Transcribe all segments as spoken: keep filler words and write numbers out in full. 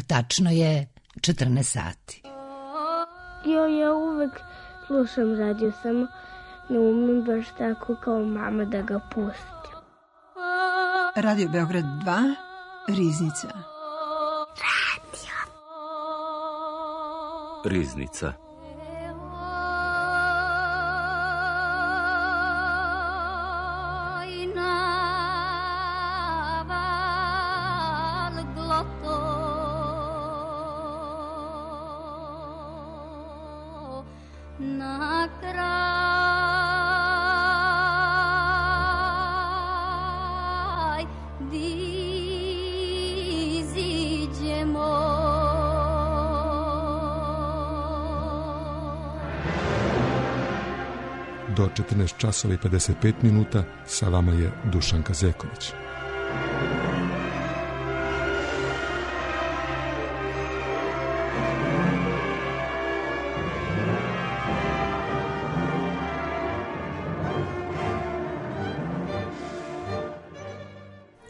Tačno je četrnaest sati. Jo, ja uvek slušam radio, samo ne umem baš tako kao mama da ga pustim. Radio Beograd dva, Riznica. Radio. Riznica. Do četrnaest časova i pedeset pet minuta sa vama je Dušan Kazeković.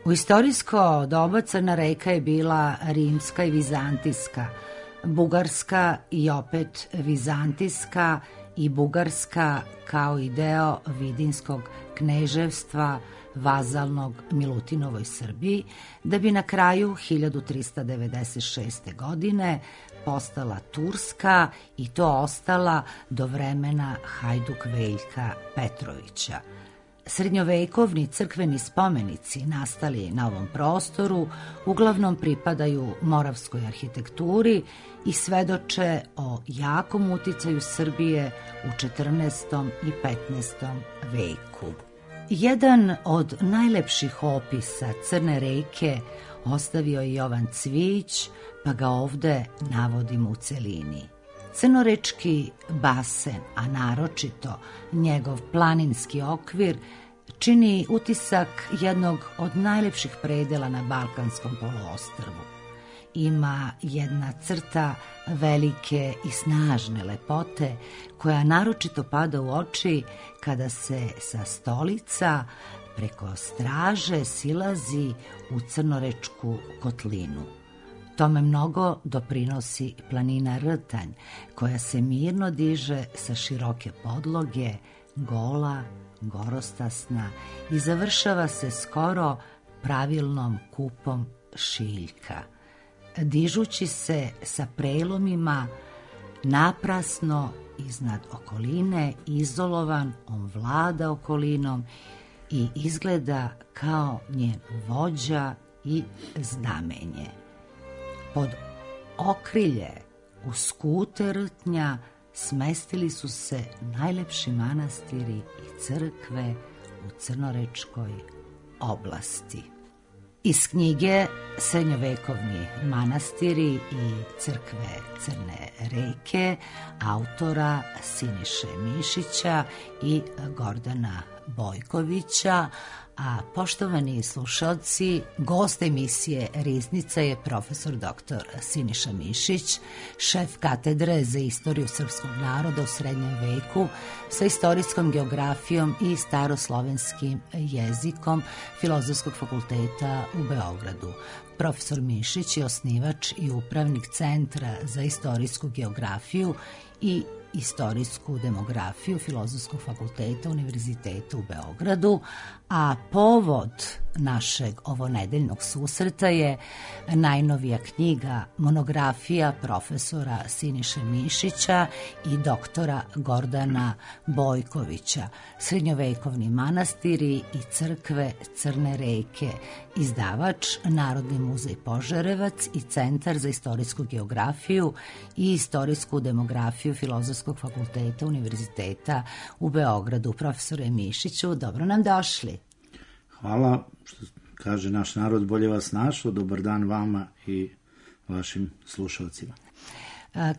U istorijsko doba Crna reka je bila rimska i vizantijska, bugarska i opet vizantijska i bugarska kao i deo Vidinskog kneževstva vazalnog Milutinovoj Srbiji, da bi na kraju hiljadu trista devedeset šeste. godine postala turska i to ostala do vremena Hajduk Veljka Petrovića. Srednjovekovni crkveni spomenici nastali na ovom prostoru uglavnom pripadaju moravskoj arhitekturi i svedoče o jakom uticaju Srbije u četrnaestom i petnaestom veku. Jedan od najlepših opisa Crne reke ostavio je Jovan Cvijić, pa ga ovde navodimo u celini. Crnorečki basen, a naročito njegov planinski okvir, čini utisak jednog od najlepših predela na Balkanskom poluostrvu. Ima jedna crta velike i snažne lepote koja naročito pada u oči kada se sa Stolica preko Straže silazi u Crnorečku kotlinu. Tome mnogo doprinosi planina Rtanj, koja se mirno diže sa široke podloge, gola, gorostasna i završava se skoro pravilnom kupom šiljka. Dižući se sa prelomima naprasno iznad okoline, izolovan, on vlada okolinom i izgleda kao njen vođa i znamenje. Pod okrilje u skute Rtnja smestili su se najlepši manastiri i crkve u Crnorečkoj oblasti. Iz knjige Srednjovekovni manastiri i crkve Crne reke autora Siniše Mišića i Gordana Bojkovića, a poštovani slušalci, gost emisije Riznica je profesor doktor Siniša Mišić, šef katedre za istoriju srpskog naroda u srednjem veku sa istorijskom geografijom i staroslovenskim jezikom Filozofskog fakulteta u Beogradu. Profesor Mišić je osnivač i upravnik Centra za istorijsku geografiju i istorijsku demografiju Filozofskog fakulteta Univerziteta u Beogradu, a povod našeg ovonedeljnog susreta je najnovija knjiga, monografija profesora Siniše Mišića i doktora Gordana Bojkovića, Srednjovekovni manastiri i crkve Crne reke, izdavač Narodni muzej Požarevac i Centar za istorijsku geografiju i istorijsku demografiju Filozofskog fakulteta Univerziteta u Beogradu. Profesore Mišiću, dobro nam došli. Hvala, što kaže naš narod, bolje vas našao. Dobar dan vama i vašim slušalcima.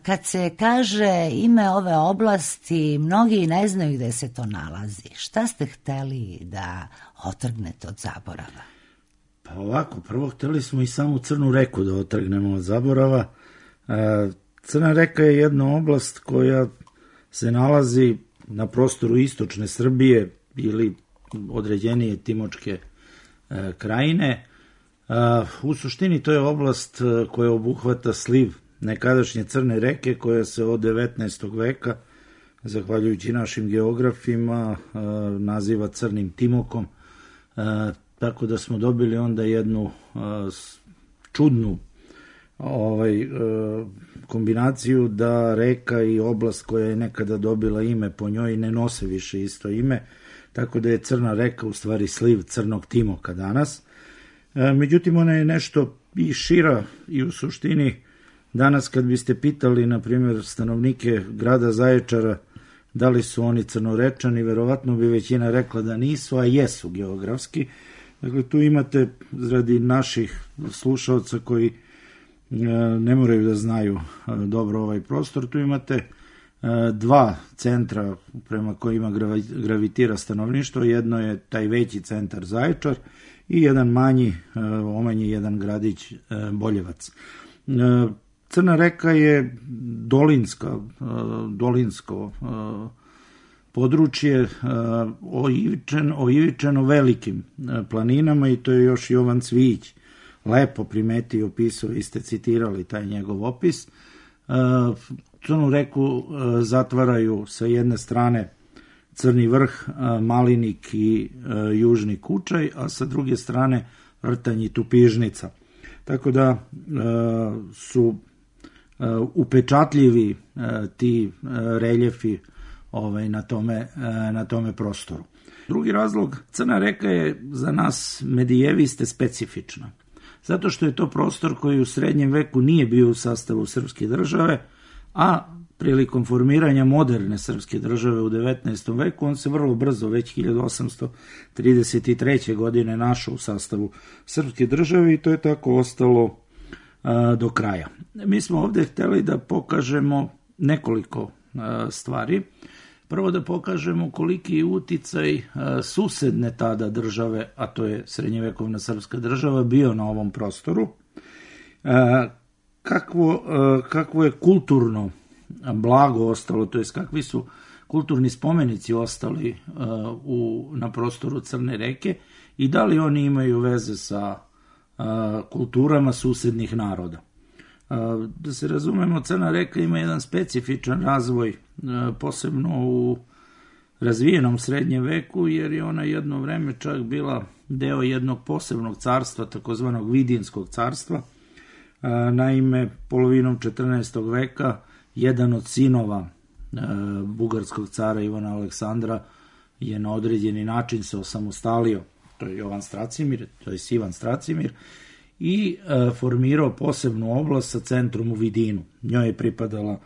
Kad se kaže ime ove oblasti, mnogi ne znaju gde se to nalazi. Šta ste hteli da otrgnete od zaborava? Pa ovako, prvo hteli smo i samu Crnu reku da otrgnemo od zaborava. Crna reka je jedna oblast koja se nalazi na prostoru istočne Srbije ili određenije Timočke krajine. U suštini to je oblast koja obuhvata sliv nekadašnje Crne reke, koja se od devetnaestog veka, zahvaljujući našim geografima, naziva Crnim Timokom, tako da smo dobili onda jednu čudnu ovaj, kombinaciju da reka i oblast koja je nekada dobila ime po njoj ne nose više isto ime, tako da je Crna reka u stvari sliv Crnog Timoka danas. Međutim, ona je nešto i šira i u suštini danas kad biste pitali, na primjer, stanovnike grada Zaječara da li su oni Crnorečani, verovatno bi većina rekla da nisu, a jesu geografski. Dakle, tu imate, radi naših slušalca koji ne moraju da znaju dobro ovaj prostor, tu imate dva centra prema kojima gravitira stanovništvo. Jedno je taj veći centar Zaječar i jedan manji, omanji jedan gradić Boljevac. Crna reka je dolinska, dolinsko područje oivičeno, oivičeno velikim planinama i to je još Jovan Cvijić lepo primetio i opisao, vi ste citirali taj njegov opis. Crnu reku zatvaraju sa jedne strane Crni vrh, Malinik i Južni Kučaj, a sa druge strane Rtanj i Tupižnica. Tako da su upečatljivi ti reljefi ovaj, na, tome, na tome prostoru. Drugi razlog, Crna reka je za nas medijeviste specifična, zato što je to prostor koji u srednjem veku nije bio u sastavu srpske države, a prilikom formiranja moderne srpske države u devetnaestom veku on se vrlo brzo, već hiljadu osamsto trideset treće. godine našao u sastavu srpske države i to je tako ostalo a, do kraja. Mi smo ovdje htjeli da pokažemo nekoliko a, stvari. Prvo da pokažemo koliki je uticaj a, susedne tada države, a to je srednjevekovna srpska država, bio na ovom prostoru. A, kakvo, a, kakvo je kulturno blago ostalo, to jest kakvi su kulturni spomenici ostali uh, u, na prostoru Crne reke i da li oni imaju veze sa uh, kulturama susednih naroda. Uh, da se razumemo, Crna reka ima jedan specifičan razvoj, uh, posebno u razvijenom srednjem veku, jer je ona jedno vreme čak bila deo jednog posebnog carstva, takozvanog Vidinskog carstva. Uh, naime, polovinom četrnaestog veka jedan od sinova e, bugarskog cara Ivana Aleksandra je na određeni način se osamostalio, to je Jovan Stracimir, to je Ivan Stracimir, i e, formirao posebnu oblast sa centrom u Vidinu. Njoj je pripadala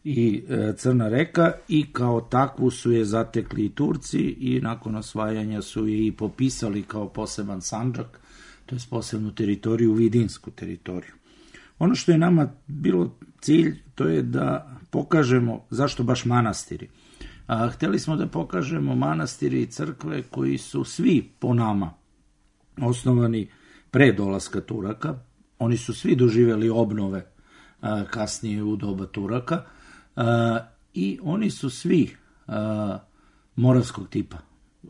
i e, Crna reka i kao takvu su je zatekli i Turci i nakon osvajanja su je i popisali kao poseban sandžak, to je posebnu teritoriju, vidinsku teritoriju. Ono što je nama bilo cilj, to je da pokažemo zašto baš manastiri. A, htjeli smo da pokažemo manastiri i crkve koji su svi po nama osnovani pre dolaska Turaka. Oni su svi doživjeli obnove a, kasnije u doba Turaka a, i oni su svi a, moravskog tipa,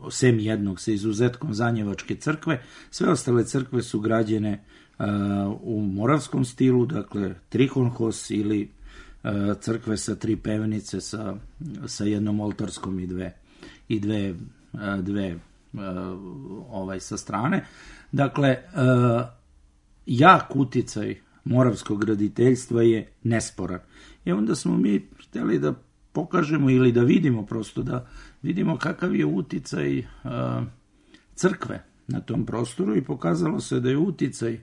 sem jednog sa izuzetkom Zanjevačke crkve. Sve ostale crkve su građene u moravskom stilu, dakle trikonhos ili crkve sa tri pevenice sa, sa jednom oltarskom i dve, i dve, dve ovaj, sa strane. Dakle, jak uticaj moravskog graditeljstva je nesporan. I onda smo mi htjeli da pokažemo ili da vidimo prosto, da vidimo kakav je uticaj crkve na tom prostoru i pokazalo se da je uticaj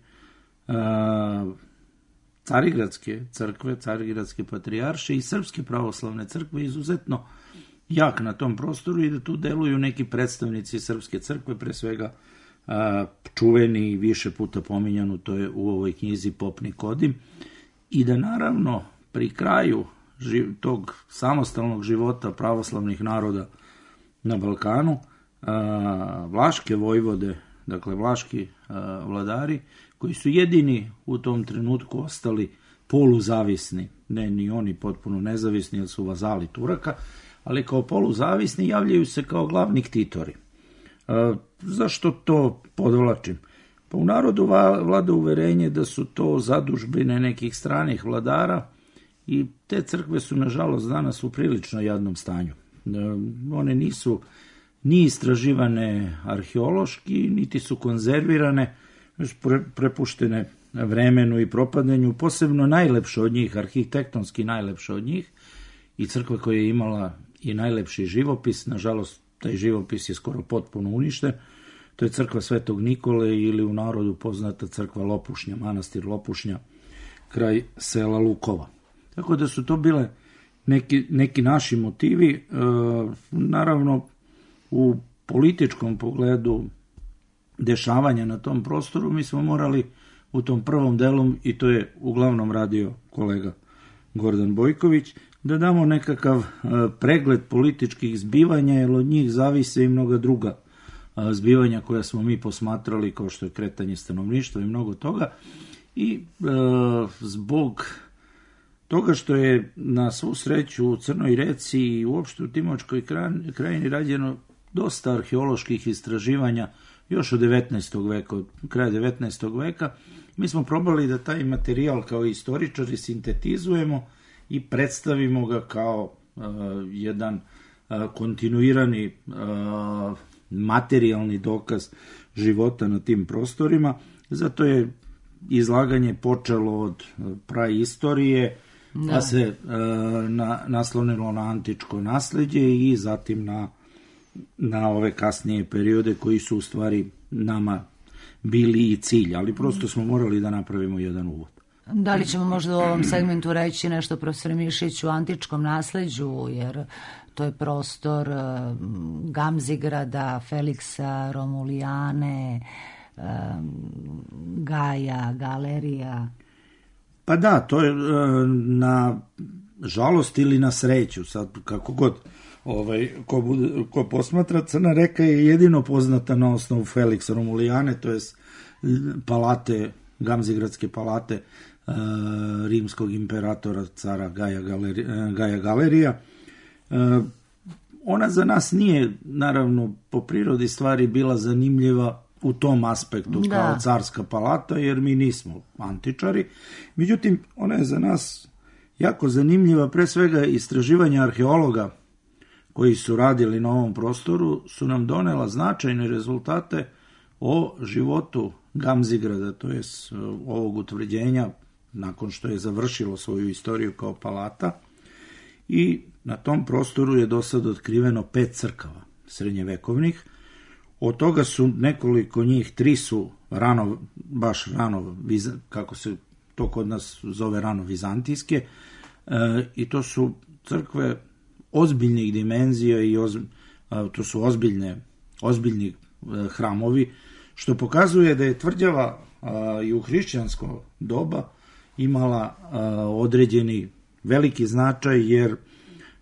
Carigradske crkve, Carigradske patrijarše i Srpske pravoslavne crkve izuzetno jak na tom prostoru i da tu deluju neki predstavnici Srpske crkve, pre svega a, čuveni i više puta pominjanu, to je u ovoj knjizi Pop Nikodim, i da naravno pri kraju živ, tog samostalnog života pravoslavnih naroda na Balkanu a, vlaške vojvode, dakle vlaški a, vladari, koji su jedini u tom trenutku ostali poluzavisni, ne ni oni potpuno nezavisni jer su vazali Turaka, ali kao poluzavisni javljaju se kao glavni ktitori. E, zašto to podvlačim? Pa u narodu vlada uverenje da su to zadužbine nekih stranih vladara i te crkve su, nažalost, danas u prilično jadnom stanju. One nisu ni istraživane arheološki, niti su konzervirane, prepuštene vremenu i propadanju, posebno najlepše od njih, arhitektonski najlepše od njih, i crkva koja je imala i najlepši živopis, nažalost, taj živopis je skoro potpuno uništen, to je crkva Svetog Nikole ili u narodu poznata crkva Lopušnja, manastir Lopušnja, kraj sela Lukova. Tako da su to bile neki, neki naši motivi. E, naravno, u političkom pogledu dešavanja na tom prostoru mi smo morali u tom prvom delu, i to je uglavnom radio kolega Gordan Bojković, da damo nekakav e, pregled političkih zbivanja, jer od njih zavise i mnoga druga e, zbivanja koja smo mi posmatrali, kao što je kretanje stanovništva i mnogo toga. I e, zbog toga što je na svu sreću u Crnoj Reci i uopšte u Timočkoj krajini rađeno dosta arheoloških istraživanja još od devetnaestog veka, od kraja devetnaestog veka, mi smo probali da taj materijal kao istoričari sintetizujemo i predstavimo ga kao uh, jedan uh, kontinuirani uh, materijalni dokaz života na tim prostorima. Zato je izlaganje počelo od praistorije, da. Pa se uh, na, naslonilo na antičko nasleđe i zatim na, na ove kasnije periode koji su u stvari nama bili i cilj, ali prosto smo morali da napravimo jedan uvod. Da li ćemo možda u ovom segmentu reći nešto, profesor Mišić, o antičkom nasleđu, jer to je prostor Gamzigrada, Feliksa, Romulijane, Gaja, Galerija? Pa da, to je na žalost ili na sreću, sad kako god ovaj, ko, bude, ko posmatra, Crna reka je jedino poznata na osnovu Feliksa Romulijane, to je palate, Gamzigradske palate uh, rimskog imperatora cara Gaja, Galeri, Gaja Galerija. Uh, ona za nas nije, naravno, po prirodi stvari bila zanimljiva u tom aspektu, da, kao carska palata, jer mi nismo antičari. Međutim, ona je za nas jako zanimljiva, pre svega istraživanja arheologa koji su radili na ovom prostoru su nam donela značajne rezultate o životu Gamzigrada, to je ovog utvrđenja nakon što je završilo svoju istoriju kao palata, i na tom prostoru je do sad otkriveno pet crkava srednjevekovnih. Od toga su nekoliko njih, tri su rano, baš rano, kako se to kod nas zove, rano vizantijske, e, i to su crkve ozbiljnih dimenzija i oz, a, to su ozbiljne, ozbiljni e, hramovi, što pokazuje da je tvrđava a, i u hrišćansko doba imala a, određeni veliki značaj, jer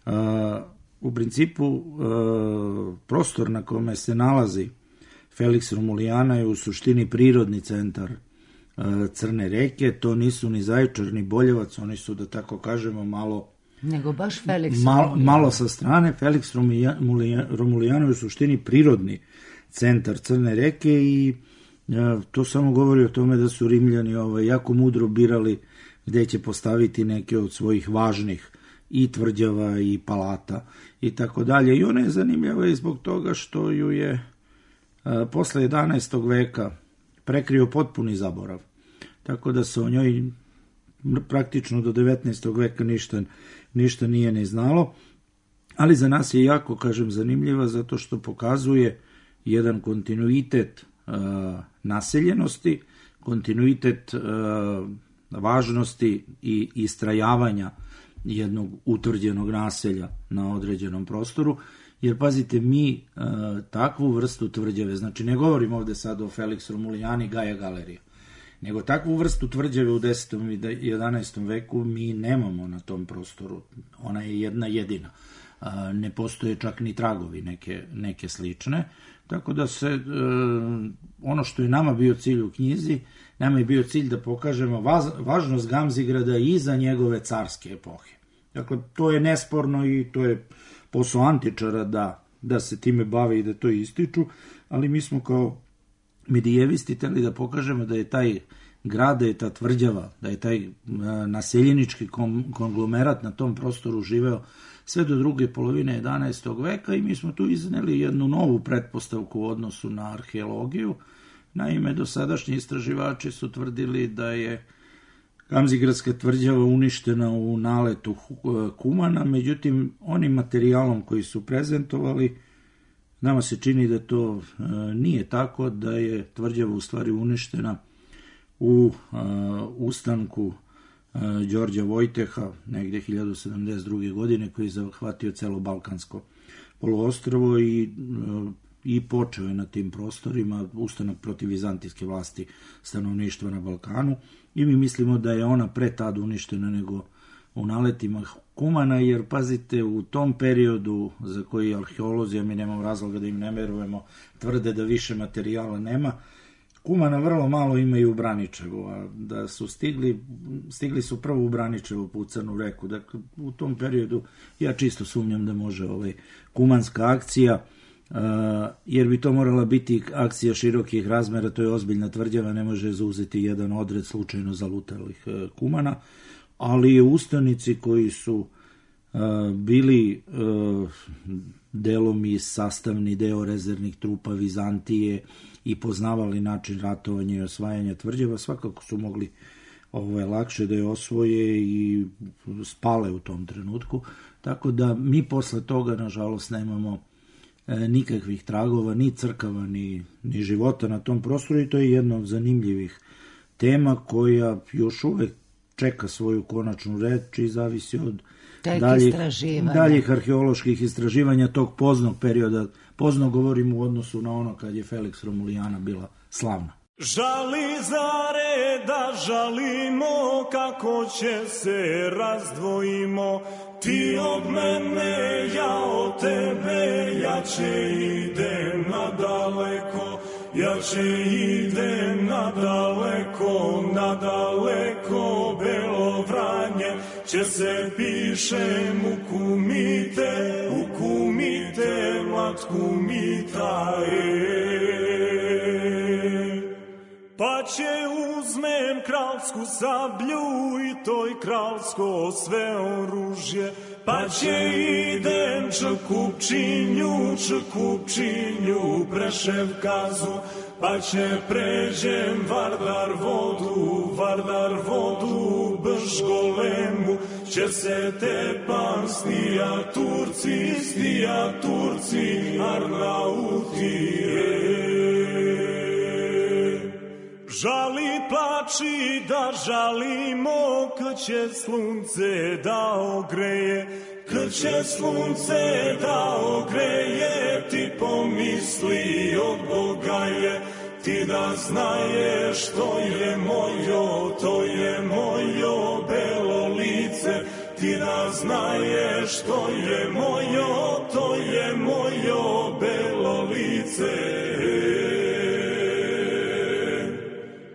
a, u principu a, prostor na kome se nalazi Feliks Romulijana je u suštini prirodni centar a, Crne reke. To nisu ni Zaječar ni Boljevac, oni su, da tako kažemo, malo nego baš Feliks mal, malo sa strane. Feliks Romulijana je u suštini prirodni centar Crne reke i a, to samo govori o tome da su Rimljani ovaj, jako mudro birali gde će postaviti neke od svojih važnih i tvrđava i palata i tako dalje. I ona je zanimljiva i zbog toga što ju je a, posle jedanaestog veka prekrio potpuni zaborav. Tako da se o njoj praktično do devetnaestog veka ništa, ništa nije ni znalo. Ali za nas je jako, kažem, zanimljiva zato što pokazuje jedan kontinuitet a, naseljenosti, kontinuitet a, važnosti i istrajavanja jednog utvrđenog naselja na određenom prostoru, jer pazite, mi e, takvu vrstu tvrđave, znači ne govorim ovde sad o Feliks Romulijani, Gaja Galerija, nego takvu vrstu tvrđave u desetom i jedanaestom veku mi nemamo na tom prostoru. Ona je jedna jedina. E, ne postoje čak ni tragovi neke, neke slične, tako da se e, ono što je nama bio cilj u knjizi, nama je bio cilj da pokažemo vaz, važnost Gamzigrada i za njegove carske epohe. Dakle, to je nesporno i to je posao antičara da, da se time bave i da to ističu, ali mi smo kao medijevisti hteli da pokažemo da je taj grad, da je ta tvrđava, da je taj naseljenički konglomerat na tom prostoru živeo sve do druge polovine jedanaestog veka i mi smo tu izneli jednu novu pretpostavku u odnosu na arheologiju. Naime, dosadašnji istraživači su tvrdili da je Gamzigradska tvrđava uništena u naletu Kumana, međutim, onim materijalom koji su prezentovali, nama se čini da to e, nije tako, da je tvrđava u stvari uništena u e, ustanku e, Đorđa Vojteha, negde hiljadu sedamdeset druge. godine, koji je zahvatio celo Balkansko poluostrvo i, e, i počeo je na tim prostorima ustanak protiv vizantijske vlasti stanovništva na Balkanu. I mi mislimo da je ona pre tad uništena nego u naletima Kumana, jer pazite, u tom periodu za koji arheolozi, a mi nemamo razloga da im ne verujemo, tvrde da više materijala nema, Kumana vrlo malo imaju u Braničevu, a da su stigli, stigli su prvo u Braničevu po Crnu reku. Dakle, u tom periodu ja čisto sumnjam da može ovaj kumanska akcija, Uh, jer bi to morala biti akcija širokih razmera, to je ozbiljna tvrđava, ne može zauzeti jedan odred slučajno zalutalih uh, Kumana, ali ustanici koji su uh, bili uh, delom i sastavni deo rezervnih trupa Vizantije i poznavali način ratovanja i osvajanja tvrđava, svakako su mogli ovo lakše da je osvoje i spale u tom trenutku, tako da mi posle toga nažalost nemamo nikakvih tragova, ni crkava, ni, ni života na tom prostoru i to je jedna od zanimljivih tema koja još uvek čeka svoju konačnu reč i zavisi od daljih, daljih arheoloških istraživanja tog poznog perioda. Pozno govorim u odnosu na ono kad je Felix Romulijana bila slavna. Žali zare da žalimo, kako će se razdvojimo, ti od mene, ja od tebe, ja će idem nadaleko, ja će idem nadaleko, nadaleko, Belo Vranje, će se pišem u kumite, u kumite, mlad kumita, e. Pa će uzmem kralsku sablju i toj kralsko sve oružje, pa će idem Čekupčinju, Čekupčinju, Preševkazu, pa će pređem Vardar vodu, Vardar vodu, Bržgolemu, će se tepam stija Turci, stija Turci, Arnautije. Žali plači da žalimo, kad će slunce da ogreje, kad će slunce da ogreje, ti pomisli od Boga je, ti da znaješ to je mojo, to je mojo belo lice, ti da znaješ to je mojo, to je mojo belo lice.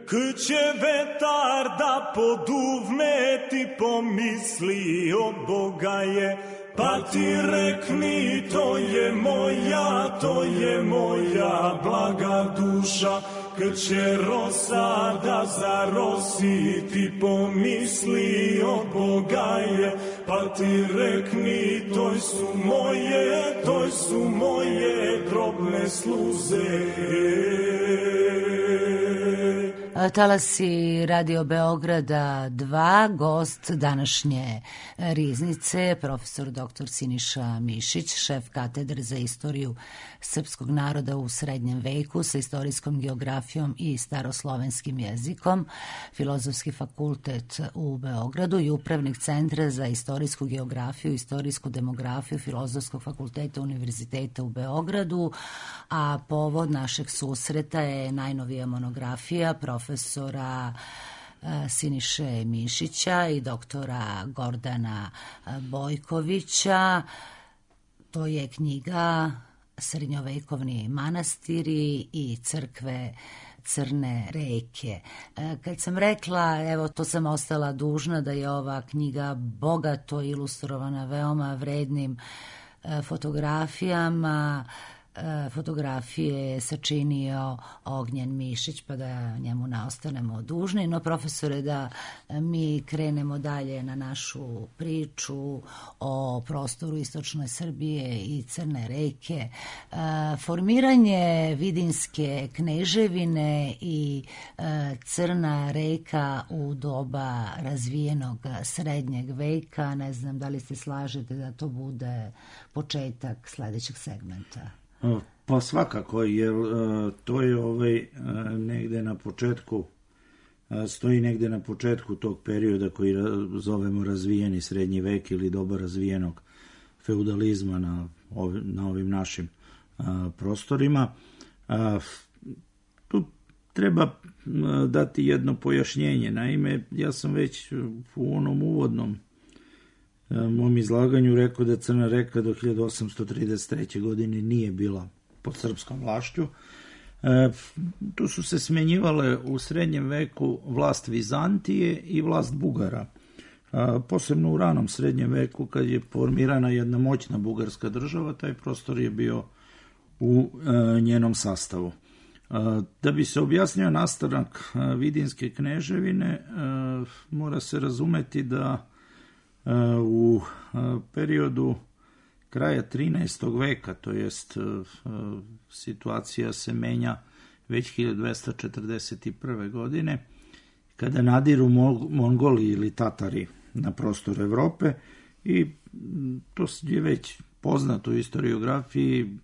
Kad će vetar da poduvne, ti pomisli od Boga je, pa ti rekni to je moja, to je moja blaga duša. Kad će rosa da zarosi, ti pomisli od Boga je, pa ti rekni toj su moje, toj su moje drobne sluze. Talasi Radio Beograda dva, gost današnje riznice, profesor doktor Siniša Mišić, šef katedre za istoriju srpskog naroda u srednjem veku sa istorijskom geografijom i staroslovenskim jezikom, Filozofski fakultet u Beogradu i upravnik Centra za istorijsku geografiju i istorijsku demografiju Filozofskog fakulteta Univerziteta u Beogradu, a povod našeg susreta je najnovija monografija profesora Siniše Mišića i doktora Gordana Bojkovića. To je knjiga Srednjovekovni manastiri i crkve Crne reke. Kad sam rekla, evo to sam ostala dužna, da je ova knjiga bogato ilustrovana veoma vrednim fotografijama, fotografije je sačinio Ognjen Mišić, pa da njemu ne ostanemo dužni. No, profesore, da mi krenemo dalje na našu priču o prostoru istočne Srbije i Crne reke. Formiranje Vidinske kneževine i Crna reka u doba razvijenog srednjeg veka, ne znam da li se slažete da to bude početak sledećeg segmenta. Pa svakako, jer to je ovaj negde na početku, stoji negde na početku tog perioda koji zovemo razvijeni srednji vek ili doba razvijenog feudalizma na ovim, na ovim našim prostorima. Tu treba dati jedno pojašnjenje. Naime, ja sam već u onom uvodnom mom izlaganju rekao da Crna reka do hiljadu osamsto trideset treće. godine nije bila pod srpskom vlašću. E, tu su se smenjivale u srednjem veku vlast Vizantije i vlast Bugara. A, posebno u ranom srednjem veku, kad je formirana jedna moćna bugarska država, taj prostor je bio u e, njenom sastavu. A, da bi se objasnio nastanak a, Vidinske kneževine, a, mora se razumeti da u periodu kraja trinaestog veka, to jest situacija se menja već hiljadu dvesta četrdeset prve. godine, kada nadiru Mongoli ili Tatari na prostor Evrope, i to je već poznato u historiografiji,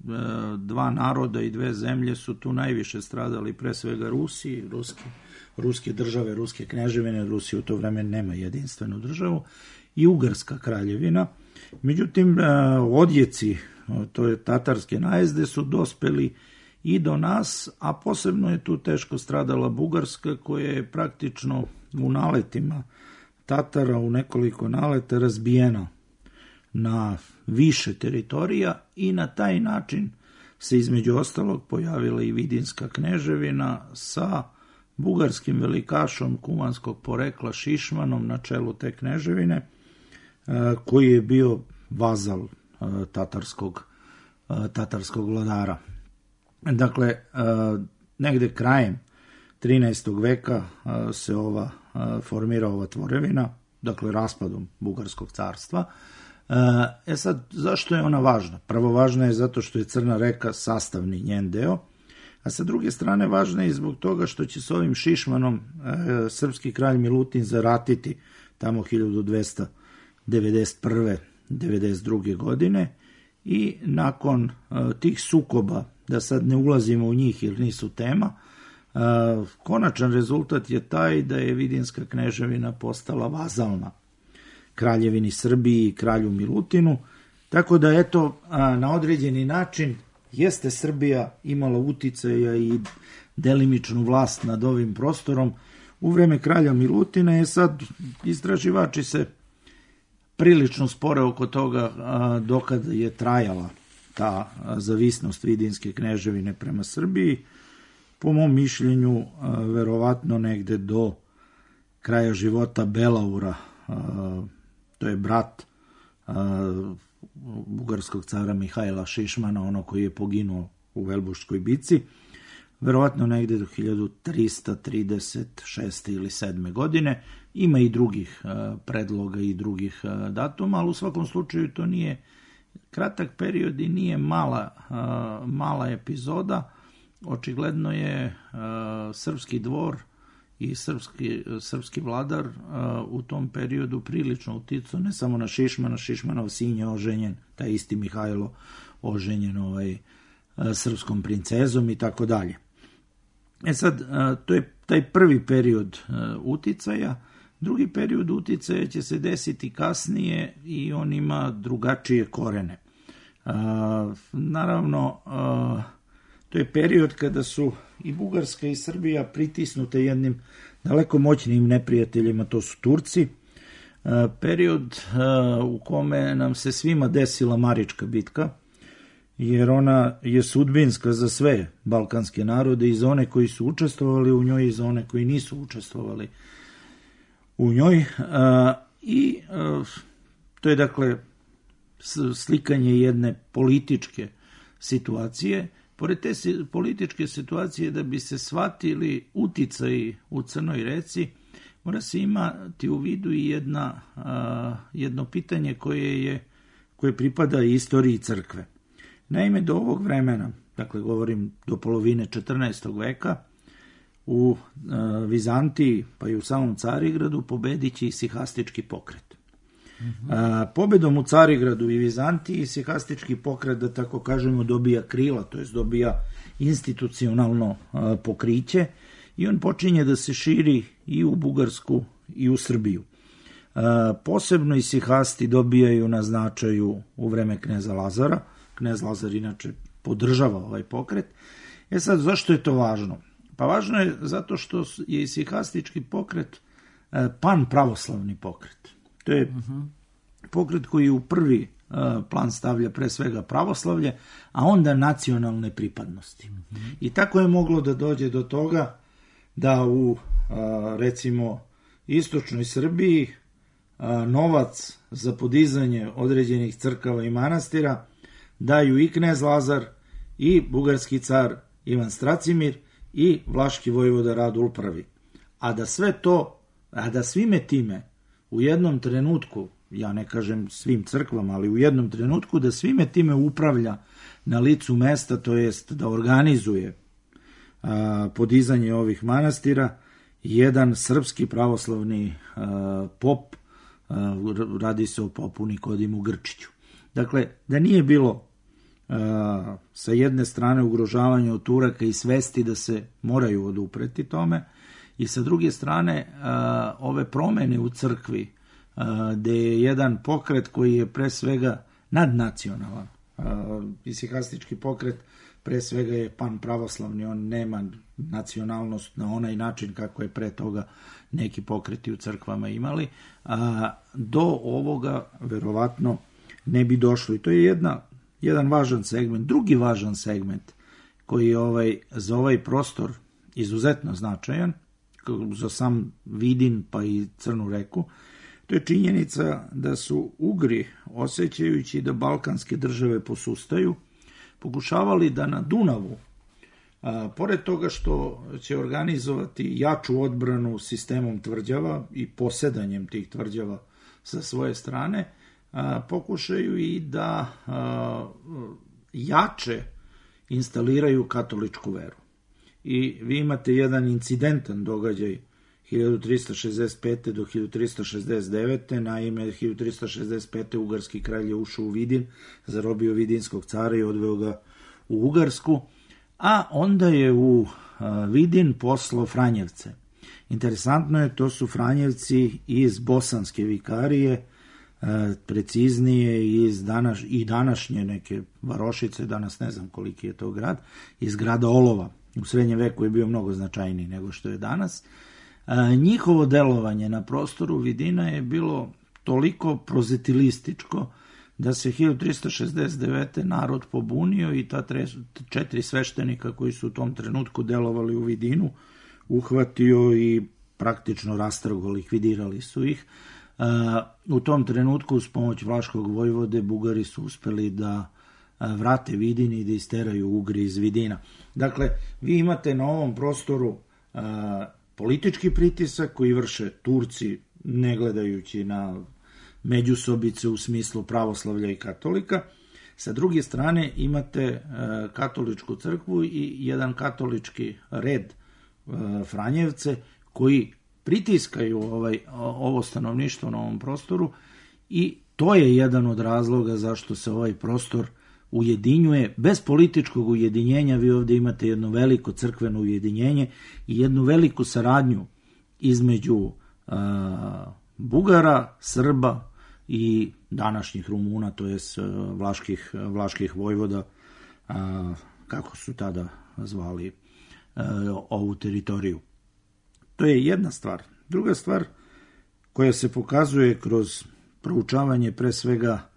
dva naroda i dve zemlje su tu najviše stradali, pre svega Rusi, ruski, ruske države, ruske kneževine. Rusija u to vreme nema jedinstvenu državu, i Ugarska kraljevina. Međutim, odjeci, to je tatarske najezde, su dospeli i do nas, a posebno je tu teško stradala Bugarska, koja je praktično u naletima Tatara, u nekoliko naleta, razbijena na više teritorija, i na taj način se između ostalog pojavila i Vidinska kneževina sa bugarskim velikašom kumanskog porekla Šišmanom na čelu te kneževine, koji je bio vazal tatarskog, tatarskog vladara. Dakle, negde krajem trinaestog veka se ova formira ova tvorevina, dakle raspadom Bugarskog carstva. E sad, zašto je ona važna? Prvo, važna je zato što je Crna reka sastavni njen deo, a sa druge strane važna je zbog toga što će s ovim Šišmanom e, srpski kralj Milutin zaratiti tamo hiljadu dvesta devedeset prve. devedeset druge. godine, i nakon e, tih sukoba, da sad ne ulazimo u njih jer nisu tema, e, konačan rezultat je taj da je Vidinska kneževina postala vazalna kraljevini Srbiji i kralju Milutinu, tako da eto, a, na određeni način jeste Srbija imala uticaja i delimičnu vlast nad ovim prostorom u vreme kralja Milutina. Je sad, istraživači se prilično spore oko toga dokad je trajala ta zavisnost Vidinske kneževine prema Srbiji. Po mom mišljenju, verovatno negde do kraja života Belaura, to je brat bugarskog cara Mihajla Šišmana, ono koji je poginuo u Velbuškoj bici, verovatno negde do hiljadu trista trideset šeste ili sedme. godine. Ima i drugih predloga i drugih datuma, ali u svakom slučaju to nije kratak period i nije mala, mala epizoda. Očigledno je srpski dvor i srpski, srpski vladar u tom periodu prilično uticao ne samo na Šišmana, Šišmanov sin je oženjen, taj isti Mihajlo oženjen ovaj, srpskom princezom i tako dalje. E sad, to je taj prvi period uticaja. Drugi period uticaja će se desiti kasnije i on ima drugačije korene. Naravno, to je period kada su i Bugarska i Srbija pritisnute jednim daleko moćnim neprijateljima, to su Turci. Period u kome nam se svima desila Marička bitka, jer ona je sudbinska za sve balkanske narode, i za one koji su učestvovali u njoj i za one koji nisu učestvovali u njoj. I to je dakle slikanje jedne političke situacije, pored te političke situacije, da bi se shvatili uticaji u Crnoj Reci, mora se imati u vidu i jedna, a, jedno pitanje koje, je, koje pripada istoriji crkve. Naime, do ovog vremena, dakle govorim do polovine četrnaestog veka, u a, Vizantiji pa i u samom Carigradu pobedit će sihastički pokret. Mm-hmm. A, pobedom u Carigradu i Vizantiji sihastički pokret, da tako kažemo, dobija krila, to jest dobija institucionalno a, pokriće i on počinje da se širi i u Bugarsku i u Srbiju. A, posebno i sihasti dobijaju na značaju u vreme kneza Lazara. Knez Lazar inače podržava ovaj pokret. E sad, zašto je to važno? Pa važno je zato što je sihastički pokret pan pravoslavni pokret. To je uh-huh. pokret koji u prvi uh, plan stavlja pre svega pravoslavlje, a onda nacionalne pripadnosti. Uh-huh. I tako je moglo da dođe do toga da u, uh, recimo, istočnoj Srbiji uh, novac za podizanje određenih crkava i manastira daju i knez Lazar, i bugarski car Ivan Stracimir, i vlaški vojvoda Radul Prvi. A da sve to, a da svime time u jednom trenutku, ja ne kažem svim crkvama, ali u jednom trenutku da svime time upravlja na licu mesta, to jest da organizuje a, podizanje ovih manastira, jedan srpski pravoslavni a, pop, a, radi se o popu Nikodimu Grčiću. Dakle, da nije bilo a, sa jedne strane ugrožavanja od Turaka i svesti da se moraju odupreti tome, i sa druge strane a, ove promene u crkvi, a, gde je jedan pokret koji je pre svega nadnacionalan, i sihastički pokret pre svega je pan pravoslavni, on nema nacionalnost na onaj način kako je pre toga neki pokreti u crkvama imali, a, do ovoga verovatno ne bi došlo. I to je jedna, jedan važan segment. Drugi važan segment koji je ovaj, za ovaj prostor izuzetno značajan, za sam Vidin pa i Crnu Reku, to je činjenica da su Ugri, osjećajući da balkanske države posustaju, pokušavali da na Dunavu, a, pored toga što će organizovati jaču odbranu sistemom tvrđava i posedanjem tih tvrđava sa svoje strane, a, pokušaju i da a, jače instaliraju katoličku veru. I vi imate jedan incidentan događaj hiljadu trista šezdeset pete do hiljadu trista šezdeset devete. Naime, hiljadu trista šezdeset pete ugarski kralj je ušao u Vidin, zarobio vidinskog cara i odveo ga u Ugarsku, a onda je u Vidin poslao Franjevce. Interesantno je, to su Franjevci iz bosanske vikarije, preciznije iz danas, i današnje neke varošice, danas ne znam koliki je to grad, iz grada Olova. U srednjem veku je bio mnogo značajniji nego što je danas. A, njihovo delovanje na prostoru Vidina je bilo toliko prozetilističko da se hiljadu trista šezdeset devete narod pobunio i ta tre, četiri sveštenika koji su u tom trenutku delovali u Vidinu uhvatio i praktično rastrgo, likvidirali su ih. A, u tom trenutku uz pomoć vlaškog vojvode Bugari su uspeli da vrate Vidin i da isteraju Ugri iz Vidina. Dakle, vi imate na ovom prostoru a, politički pritisak koji vrše Turci, ne gledajući na međusobice u smislu pravoslavlja i katolika. Sa druge strane imate a, katoličku crkvu i jedan katolički red a, Franjevce koji pritiskaju ovaj, ovo stanovništvo na ovom prostoru, i to je jedan od razloga zašto se ovaj prostor ujedinjuje. Bez političkog ujedinjenja vi ovdje imate jedno veliko crkveno ujedinjenje i jednu veliku saradnju između a, Bugara, Srba i današnjih Rumuna, to jest vlaških, vlaških vojvoda, a, kako su tada zvali a, ovu teritoriju. To je jedna stvar. Druga stvar koja se pokazuje kroz proučavanje pre svega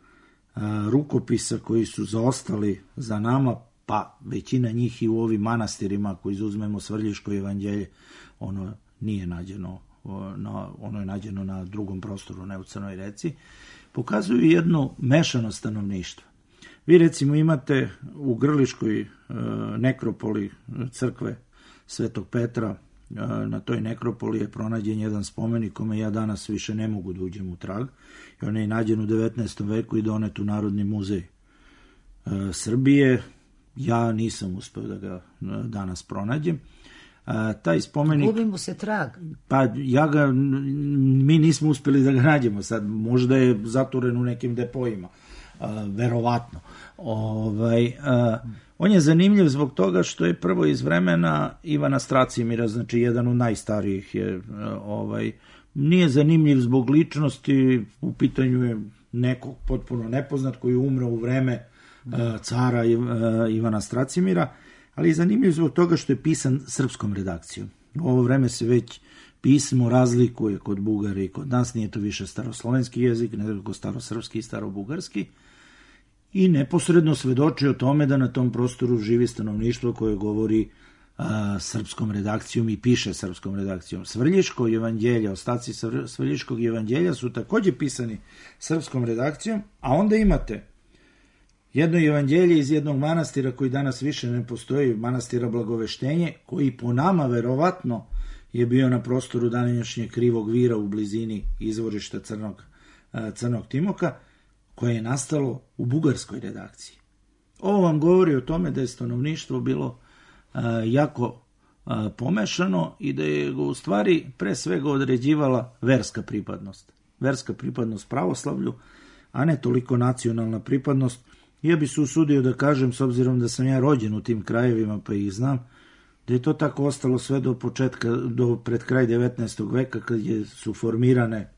rukopisa koji su zaostali za nama, pa većina njih i u ovim manastirima, ako izuzmemo Svrljiško evanđelje, ono nije nađeno, ono je nađeno na drugom prostoru, ne u Crnoj Reci, pokazuju jedno mešano stanovništvo. Vi recimo imate u Grliškoj e, nekropoli crkve Svetog Petra, e, na toj nekropoli je pronađen jedan spomenik kome ja danas više ne mogu da uđem u trag. I on je nađen u devetnaestom veku i donet u Narodni muzej e, Srbije. Ja nisam uspeo da ga danas pronađem. A, taj spomenik... Gubi mu se trag. Pa ja ga, mi nismo uspeli da ga nađemo sad, možda je zaturen u nekim depojima, a, verovatno. Ovaj, a, on je zanimljiv zbog toga što je prvo iz vremena Ivana Stracimira, znači jedan od najstarijih je, a, ovaj, nije zanimljiv zbog ličnosti, u pitanju je nekog potpuno nepoznat koji je umro u vreme a, cara a, Ivana Stracimira, ali je zanimljiv zbog toga što je pisan srpskom redakcijom. U ovo vreme se već pismo razlikuje kod Bugara i kod nas, nije to više staroslovenski jezik, nego starosrpski i starobugarski, i neposredno svedoči o tome da na tom prostoru živi stanovništvo koje govori a, srpskom redakcijom i piše srpskom redakcijom. Svrljiško evanđelje, ostaci Svrljiškog evanđelja su takođe pisani srpskom redakcijom, a onda imate jedno evanđelje iz jednog manastira koji danas više ne postoji, manastira Blagoveštenje, koji po nama verovatno je bio na prostoru današnjeg Krivog Vira u blizini izvorišta Crnog, Crnog Timoka, koje je nastalo u bugarskoj redakciji. Ovo vam govori o tome da je stanovništvo bilo a, jako a, pomešano i da je go u stvari pre svega određivala verska pripadnost. Verska pripadnost pravoslavlju, a ne toliko nacionalna pripadnost. Ja bi se usudio da kažem, s obzirom da sam ja rođen u tim krajevima pa ih znam, da je to tako ostalo sve do početka, do pred kraj devetnaestog veka, kad je, su formirane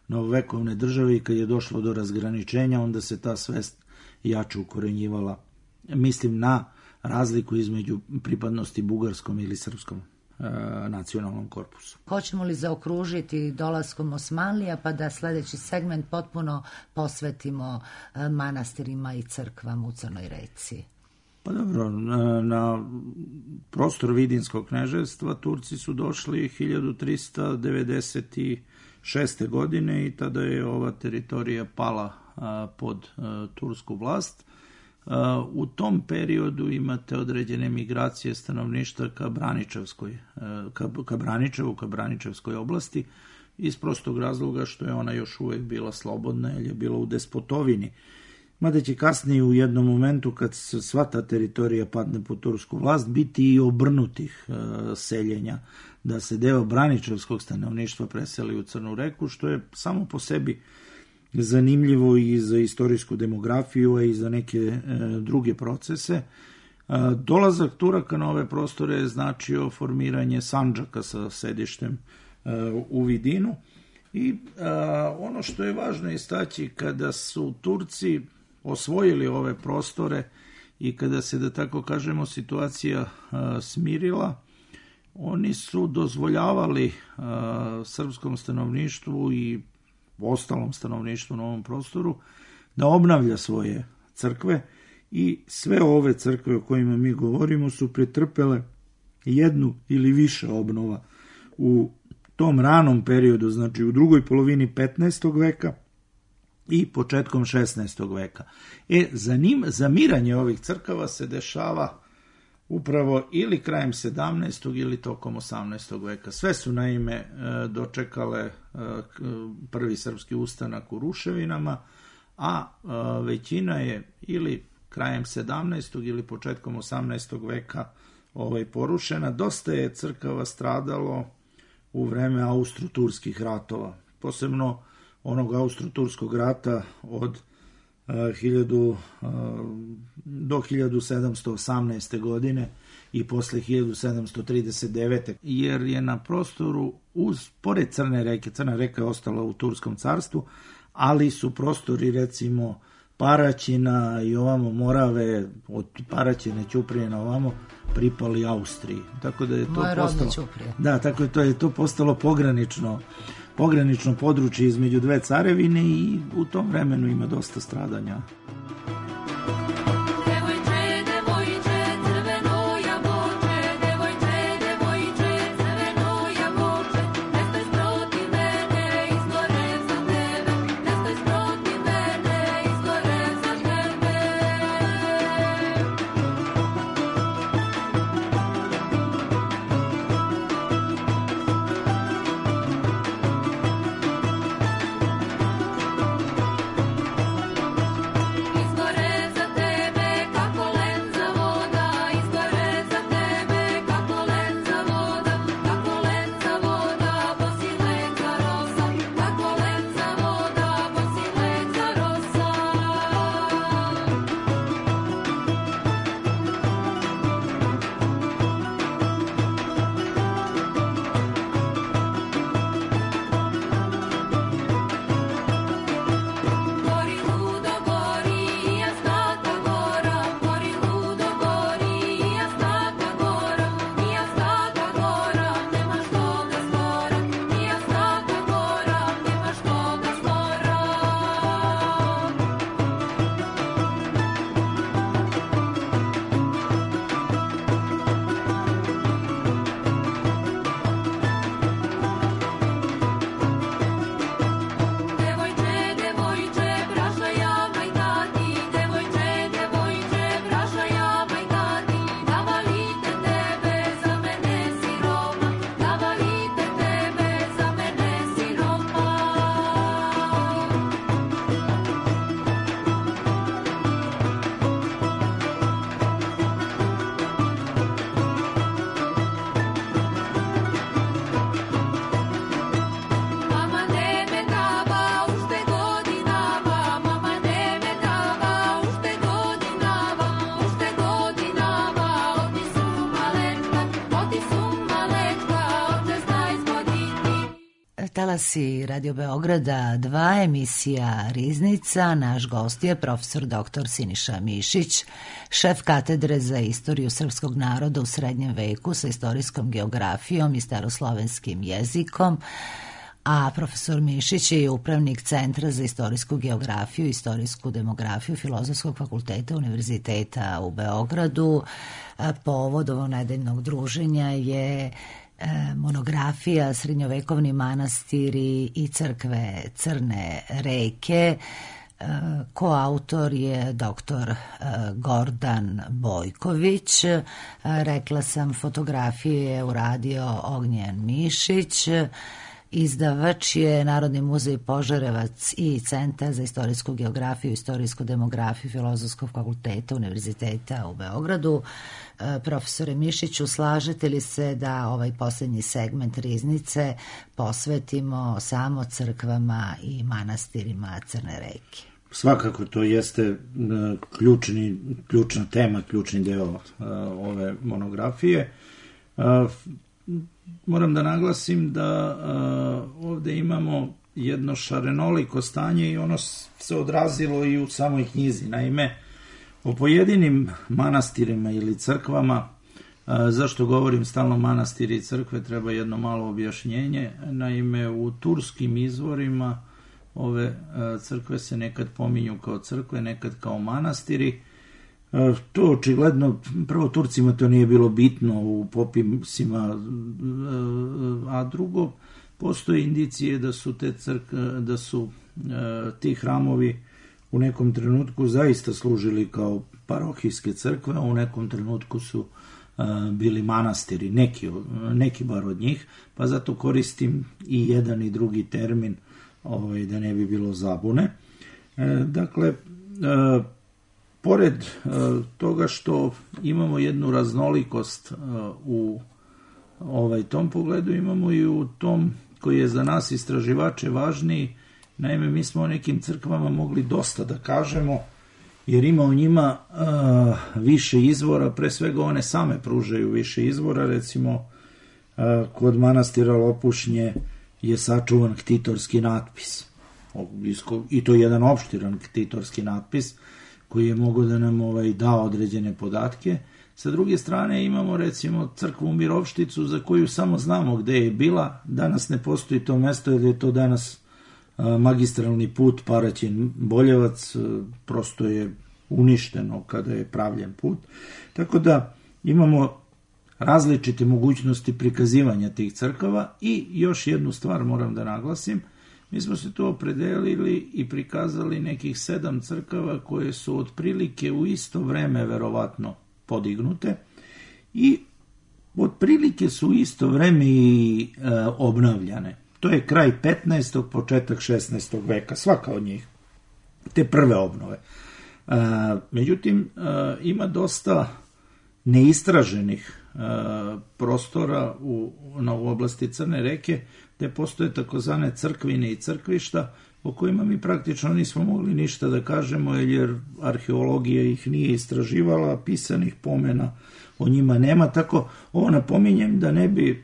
novovekovne države i kad je došlo do razgraničenja, onda se ta svest jače ukorenjivala. Mislim na razliku između pripadnosti bugarskom ili srpskom e, nacionalnom korpusu. Hoćemo li zaokružiti dolaskom Osmanlija pa da sledeći segment potpuno posvetimo e, manastirima i crkvama u Crnoj Reci? Pa dobro, na, na prostor Vidinskog kneževstva Turci su došli hiljadu trista devedeset šeste. godine i tada je ova teritorija pala a, pod a, tursku vlast. A, u tom periodu imate određene migracije stanovništva ka Braničevskoj, a, ka, ka Braničevu, ka Braničevskoj oblasti, iz prostog razloga što je ona još uvek bila slobodna, jer je bila u despotovini. Mada će kasnije u jednom momentu, kad se sva ta teritorija padne pod tursku vlast, biti i obrnutih e, seljenja, da se deo braničevskog stanovništva preseli u Crnu Reku, što je samo po sebi zanimljivo i za istorijsku demografiju, a i za neke e, druge procese. E, dolazak Turaka na ove prostore je značio formiranje Sandžaka sa sedištem e, u Vidinu. I a, ono što je važno istaći, kada su Turci osvojili ove prostore i kada se, da tako kažemo, situacija a, smirila, oni su dozvoljavali a, srpskom stanovništvu i ostalom stanovništvu na ovom prostoru da obnavlja svoje crkve, i sve ove crkve o kojima mi govorimo su pretrpele jednu ili više obnova u tom ranom periodu, znači u drugoj polovini petnaestog veka i početkom šesnaestog veka. E, zanim, zamiranje ovih crkava se dešava upravo ili krajem sedamnaestog ili tokom osamnaestog veka. Sve su naime dočekale prvi srpski ustanak u ruševinama, a većina je ili krajem sedamnaestog ili početkom osamnaestog veka ovaj, porušena. Dosta je crkava stradalo u vreme austro-turskih ratova, posebno onog austro-turskog rata od uh, hiljadu, uh, do hiljadu sedamsto osamnaeste. godine i posle hiljadu sedamsto trideset devete. jer je na prostoru uz, pored Crne reke, Crna reka je ostala u Turskom carstvu, ali su prostori recimo Paraćina i ovamo Morave, od Paraćine, Ćuprije na ovamo, pripali Austriji. Tako da je to Moje postalo, Ćuprije. Da, tako je to je to postalo pogranično, pogranično područje između dve carevine i u tom vremenu ima dosta stradanja. talasi Radio Beograda dva, emisija Riznica. Naš gost je profesor doktor Siniša Mišić, šef katedre za istoriju srpskog naroda u srednjem veku sa istorijskom geografijom i staroslovenskim jezikom. A profesor Mišić je upravnik Centra za istorijsku geografiju i istorijsku demografiju Filozofskog fakulteta Univerziteta u Beogradu. Povod ovog nedeljnog druženja je monografija Srednjovekovni manastiri i crkve Crne reke. Koautor je doktor Gordan Bojković. Rekla sam, fotografije je uradio Ognjen Mišić. Izdavač je Narodni muzej Požarevac i Centar za istorijsku geografiju i istorijsku demografiju Filozofskog fakulteta Univerziteta u Beogradu. Profesore Mišiću, slažete li se da ovaj posljednji segment Riznice posvetimo samo crkvama i manastirima Crne reke? Svakako, to jeste ključni, ključna tema, ključni deo ove monografije. Moram da naglasim da uh, ovde imamo jedno šarenoliko stanje i ono se odrazilo i u samoj knjizi. Naime, o pojedinim manastirima ili crkvama, uh, zašto govorim stalno manastiri i crkve, treba jedno malo objašnjenje. Naime, u turskim izvorima ove uh, crkve se nekad pominju kao crkve, nekad kao manastiri. To očigledno, prvo Turcima to nije bilo bitno u popisima, a drugo, postoje indicije da su te crkve, da su ti hramovi u nekom trenutku zaista služili kao parohijske crkve, a u nekom trenutku su bili manastiri, neki, neki bar od njih, pa zato koristim i jedan i drugi termin, ovaj, da ne bi bilo zabune. Dakle, pored uh, toga što imamo jednu raznolikost uh, u ovaj, tom pogledu, imamo i u tom koji je za nas istraživače važniji. Naime, mi smo o nekim crkvama mogli dosta da kažemo, jer ima u njima uh, više izvora, pre svega one same pružaju više izvora. Recimo, uh, kod manastira Lopušnje je sačuvan ktitorski natpis, i to je jedan opštiran ktitorski natpis, koji je mogao da nam ovaj, da određene podatke. Sa druge strane imamo recimo crkvu Mirovšticu, za koju samo znamo gde je bila. Danas ne postoji to mesto, jer je to danas a, magistralni put Paraćin-Boljevac, prosto je uništeno kada je pravljen put. Tako da imamo različite mogućnosti prikazivanja tih crkava i još jednu stvar moram da naglasim. Mi smo se to opredelili i prikazali nekih sedam crkava koje su otprilike u isto vreme verovatno podignute i otprilike su u isto vreme i e, obnavljane. To je kraj petnaestog. početak šesnaestog veka, svaka od njih, te prve obnove. E, međutim, e, ima dosta neistraženih e, prostora u, na, u oblasti Crne reke, gde postoje takozvane crkvine i crkvišta, o kojima mi praktično nismo mogli ništa da kažemo, jer arheologija ih nije istraživala, pisanih pomena o njima nema. Tako, ovo napominjem da ne bi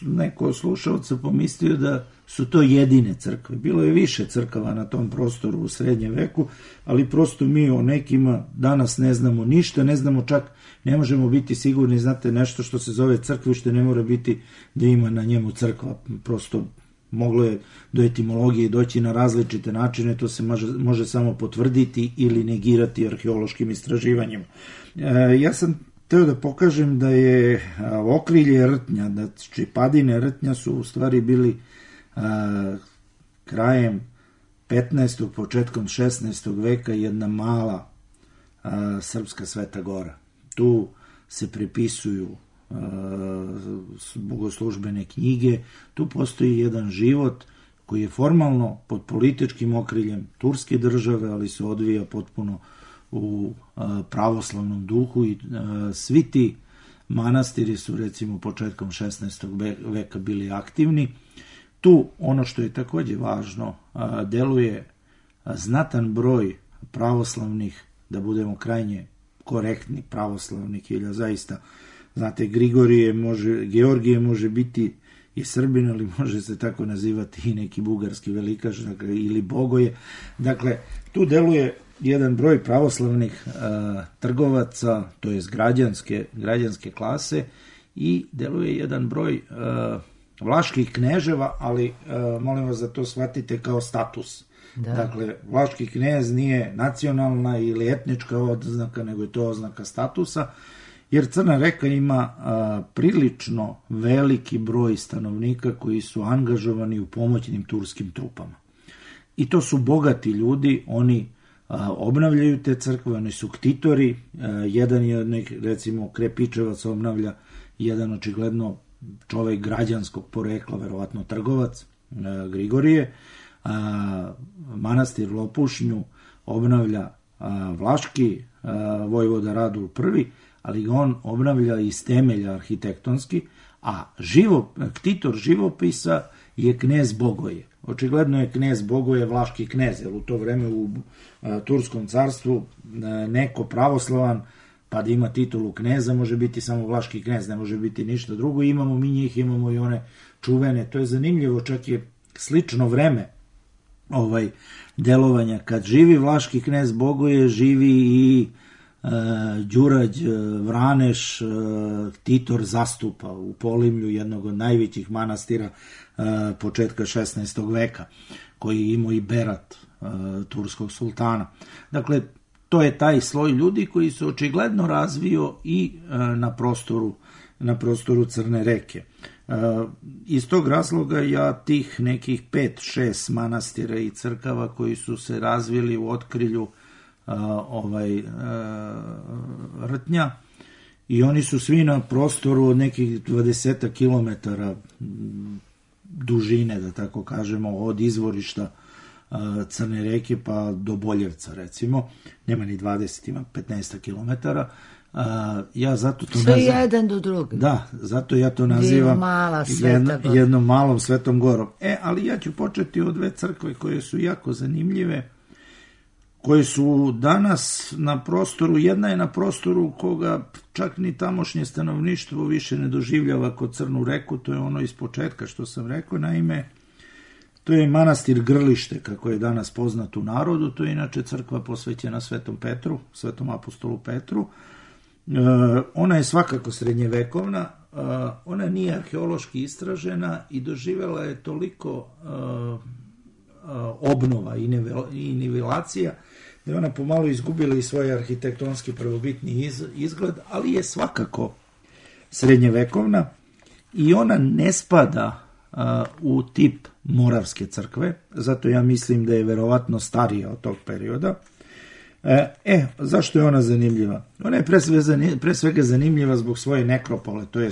neko od slušalca pomislio da su to jedine crkve. Bilo je više crkava na tom prostoru u srednjem veku, ali prosto mi o nekima danas ne znamo ništa, ne znamo čak, ne možemo biti sigurni, znate, nešto što se zove crkvište ne mora biti da ima na njemu crkva, prosto moglo je do etimologije doći na različite načine, to se može, može samo potvrditi ili negirati arheološkim istraživanjima. E, ja sam teo da pokažem da je okrilje rtnja, da padine rtnja su u stvari bili a, krajem petnaestog. početkom šesnaestog veka jedna mala a, srpska Sveta Gora. Tu se prepisuju a, bogoslužbene knjige, tu postoji jedan život koji je formalno pod političkim okriljem turske države, ali se odvija potpuno u a, pravoslavnom duhu i a, svi ti manastiri su recimo početkom šesnaestog. veka bili aktivni. Tu ono što je takođe važno, a, deluje a, znatan broj pravoslavnih, da budemo krajnje korektni, pravoslavnih, ili zaista, znate, Grigorije može, Georgije može biti i Srbin, ali može se tako nazivati i neki bugarski velikaš, dakle, ili Bogoje. Dakle, tu deluje jedan broj pravoslavnih a, trgovaca, to jest građanske, građanske klase, i deluje jedan broj a, vlaških kneževa, ali a, molim vas da to shvatite kao status. Da. Dakle, vlaški knez nije nacionalna ili etnička oznaka, nego je to oznaka statusa, jer Crna Reka ima a, prilično veliki broj stanovnika koji su angažovani u pomoćnim turskim trupama. I to su bogati ljudi, oni a, obnavljaju te crkve, oni su ktitori, a, jedan je od nekih, recimo, Krepičevac obnavlja, jedan očigledno čovek građanskog porekla, verovatno trgovac, a, Grigorije, a, manastir Lopušnju obnavlja a, vlaški a, vojvoda Radul prvi, ali ga on obnavlja iz temelja arhitektonski, a živo, ktitor živopisa je knez Bogoje. Očigledno je knez Bogoje vlaški knez, jer u to vreme u a, Turskom carstvu a, neko pravoslavan, pa da ima titulu kneza, može biti samo vlaški knez, ne može biti ništa drugo. Imamo mi njih, imamo i one čuvene. To je zanimljivo, čak je slično vreme ovaj delovanja. Kad živi vlaški knez Bogoje, živi i uh, Đurađ, Vraneš, uh, Titor zastupa u Polimlju, jednog od najvećih manastira uh, početka šesnaestog veka, koji je imao i berat uh, turskog sultana. Dakle, to je taj sloj ljudi koji se očigledno razvio i uh, na prostoru na prostoru Crne Reke. Uh, iz tog razloga ja tih nekih pet šest manastira i crkava koji su se razvili u otkrilju uh, ovaj uh, Rtnja, i oni su svi na prostoru od nekih dvadeset kilometara dužine, da tako kažemo, od izvorišta uh, Crne Reke pa do Boljevca, recimo. Nema ni dvadeset, ima petnaest kilometara. Uh, ja zato to sve nazivam, jedan do drugog. Da, zato ja to nazivam mala jedno, jednom malom Svetom Gorom. E, ali ja ću početi od dve crkve koje su jako zanimljive, koje su danas na prostoru, jedna je na prostoru koga čak ni tamošnje stanovništvo više ne doživljava kod Crnu Reku, to je ono iz početka što sam rekao, naime, to je manastir Grlište, kako je danas poznat u narodu, to je inače crkva posvećena Svetom Petru, Svetom apostolu Petru. Uh, ona je svakako srednjevekovna, uh, ona nije arheološki istražena i doživela je toliko uh, uh, obnova i, nivel, i nivelacija da je ona pomalo izgubila i svoj arhitektonski prvobitni iz, izgled, ali je svakako srednjevekovna i ona ne spada uh, u tip Moravske crkve, zato ja mislim da je verovatno starija od tog perioda. E, e, zašto je ona zanimljiva? Ona je pre svega, pre svega zanimljiva zbog svoje nekropole, to je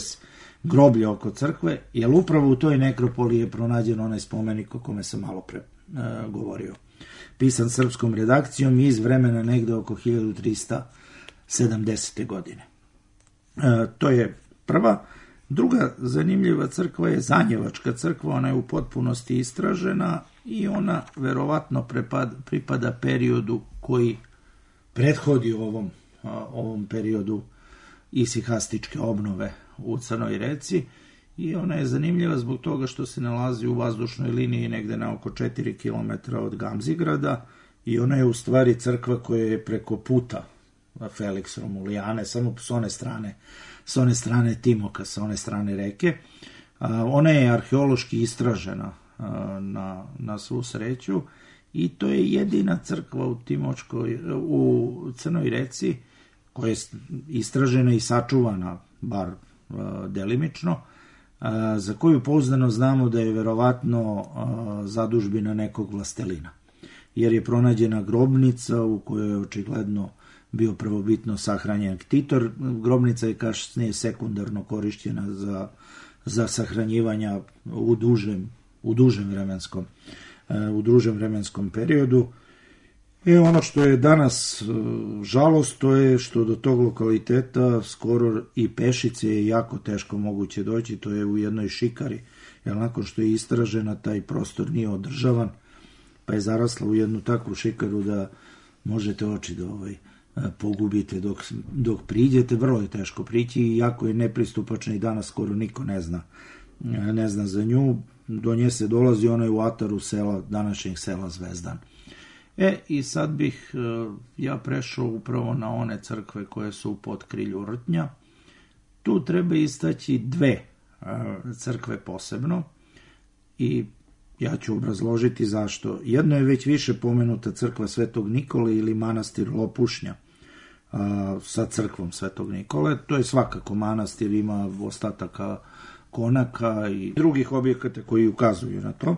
groblje oko crkve, jer upravo u toj nekropoli je pronađen onaj spomenik o kome sam malo pre e, govorio. Pisan srpskom redakcijom iz vremena negde oko hiljadu trista sedamdesete. godine. E, to je prva. Druga zanimljiva crkva je Zanjevačka crkva, ona je u potpunosti istražena i ona verovatno prepad, pripada periodu koji prethodi ovom, ovom periodu isihastičke obnove u Crnoj Reci, i ona je zanimljiva zbog toga što se nalazi u vazdušnoj liniji negde na oko četiri kilometra od Gamzigrada, i ona je u stvari crkva koja je preko puta Felix Romulijane, samo s one strane, s one strane Timoka, sa one strane reke. Ona je arheološki istražena na, na svu sreću, i to je jedina crkva u Timočkoj, u Crnoj Reci koja je istražena i sačuvana, bar uh, delimično, uh, za koju pouzdano znamo da je verovatno uh, zadužbina nekog vlastelina, jer je pronađena grobnica u kojoj je očigledno bio prvobitno sahranjen ktitor. Grobnica je kasnije sekundarno korišćena za, za sahranjivanja u dužem, u dužem vremenskom u dužem vremenskom periodu. I ono što je danas žalost, to je što do tog lokaliteta skoro i pešice je jako teško moguće doći, to je u jednoj šikari, jer nakon što je istražena taj prostor nije održavan, pa je zarasla u jednu takvu šikaru da možete oči da ovaj, pogubite dok, dok priđete, vrlo je teško prići i jako je nepristupačno i danas skoro niko ne zna ne zna za nju, do nje se dolazi, ona je u ataru sela, današnjeg sela Zvezdan. E, i sad bih ja prešao upravo na one crkve koje su u potkrilju Rtnja. Tu treba istaći dve crkve posebno i ja ću obrazložiti zašto. Jedno je već više pomenuta crkva Svetog Nikole ili manastir Lopušnja sa crkvom Svetog Nikole. To je svakako manastir, ima ostataka konaka i drugih objekata koji ukazuju na to.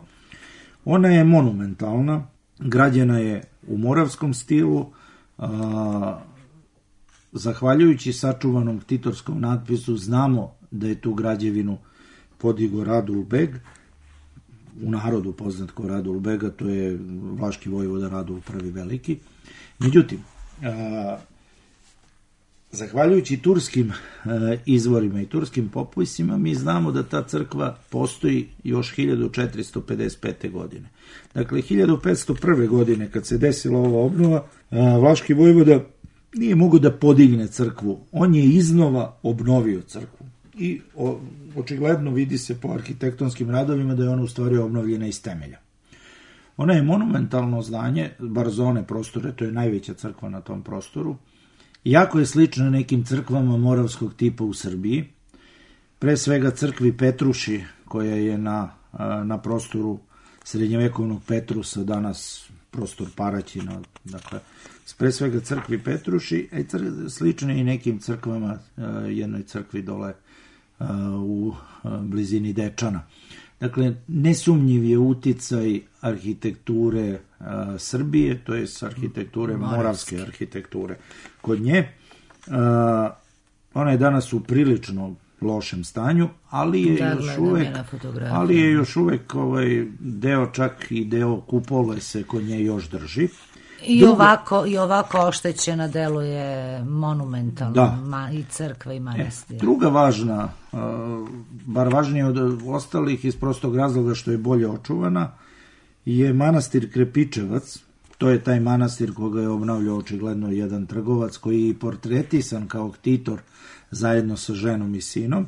Ona je monumentalna, građena je u moravskom stilu, a, zahvaljujući sačuvanom titorskom natpisu znamo da je tu građevinu podigao Radul Beg, u narodu poznat kao Radul Bega, to je vlaški vojvoda Radul Prvi Veliki. Međutim, a, zahvaljujući turskim a, izvorima i turskim popisima, mi znamo da ta crkva postoji još hiljadu četiristo pedeset pete. godine. Dakle, hiljadu petsto prve. godine, kad se desila ova obnova, a, vlaški vojvoda nije mogao da podigne crkvu. On je iznova obnovio crkvu. I o, očigledno vidi se po arhitektonskim radovima da je ona u stvari obnovljena iz temelja. Ona je monumentalno zdanje, bar za one prostore, to je najveća crkva na tom prostoru. Jako je slična nekim crkvama moravskog tipa u Srbiji. Pre svega crkvi Petruši, koja je na, na prostoru srednjevekovnog Petrusa, danas prostor Paraćina, dakle, pre svega crkvi Petruši, a cr- slične i nekim crkvama, jednoj crkvi dole u blizini Dečana. Dakle, nesumnjiv je uticaj arhitekture a, Srbije, to je arhitekture, Moravske. moravske arhitekture. Kod nje, a, ona je danas u prilično lošem stanju, ali je da, još uvek, ali je još uvek ovaj deo, čak i deo kupole se kod nje još drži. I Drugo, ovako i ovako oštećena deluje monumentalno, da. ma, i crkva i manastir. E, druga važna, uh, bar važnije od ostalih iz prostog razloga što je bolje očuvana, je manastir Krepičevac. To je taj manastir koga je obnavljao očigledno jedan trgovac koji je portretisan kao ktitor zajedno sa ženom i sinom.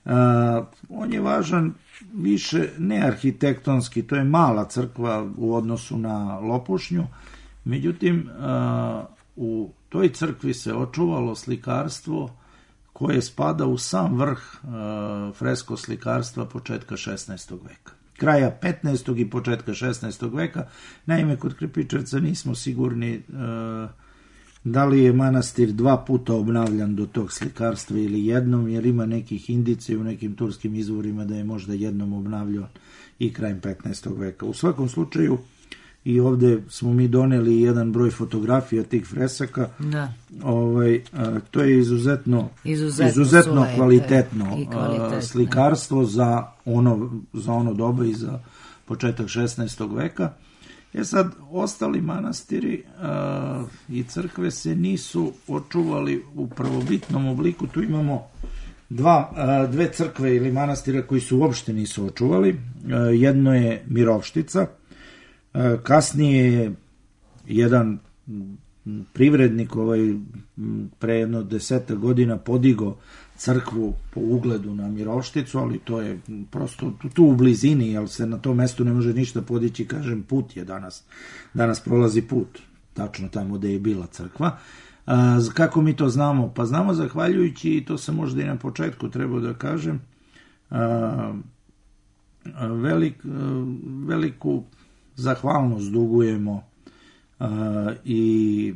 Uh, on je važan više ne arhitektonski, to je mala crkva u odnosu na Lopušnju. Međutim, u toj crkvi se očuvalo slikarstvo koje spada u sam vrh fresko slikarstva početka šesnaestog. veka. Kraja petnaestog i početka šesnaestog. veka. Naime, kod Krepičevca nismo sigurni da li je manastir dva puta obnavljan do tog slikarstva ili jednom, jer ima nekih indicija u nekim turskim izvorima da je možda jednom obnavljan i krajem petnaestog. veka. U svakom slučaju, i ovde smo mi doneli jedan broj fotografija tih fresaka. Da. Ovaj, a, to je izuzetno, izuzetno, izuzetno kvalitetno, kvalitetno slikarstvo za ono, za ono doba i za početak šesnaestog. veka. E sad, ostali manastiri a, i crkve se nisu očuvali u prvobitnom obliku. Tu imamo dva, a, dve crkve ili manastira koji su uopšte nisu očuvali. A, jedno je Mirovštica. Kasnije je jedan privrednik ovaj, pre jedno deseta godina podigao crkvu po ugledu na Mirovšticu, ali to je prosto tu u blizini, jer se na tom mestu ne može ništa podići, kažem, put je danas. Danas prolazi put, tačno tamo gde je bila crkva. A, kako mi to znamo? Pa znamo zahvaljujući, i to sam možda i na početku trebao da kažem, a, velik, a, veliku zahvalnost dugujemo uh, i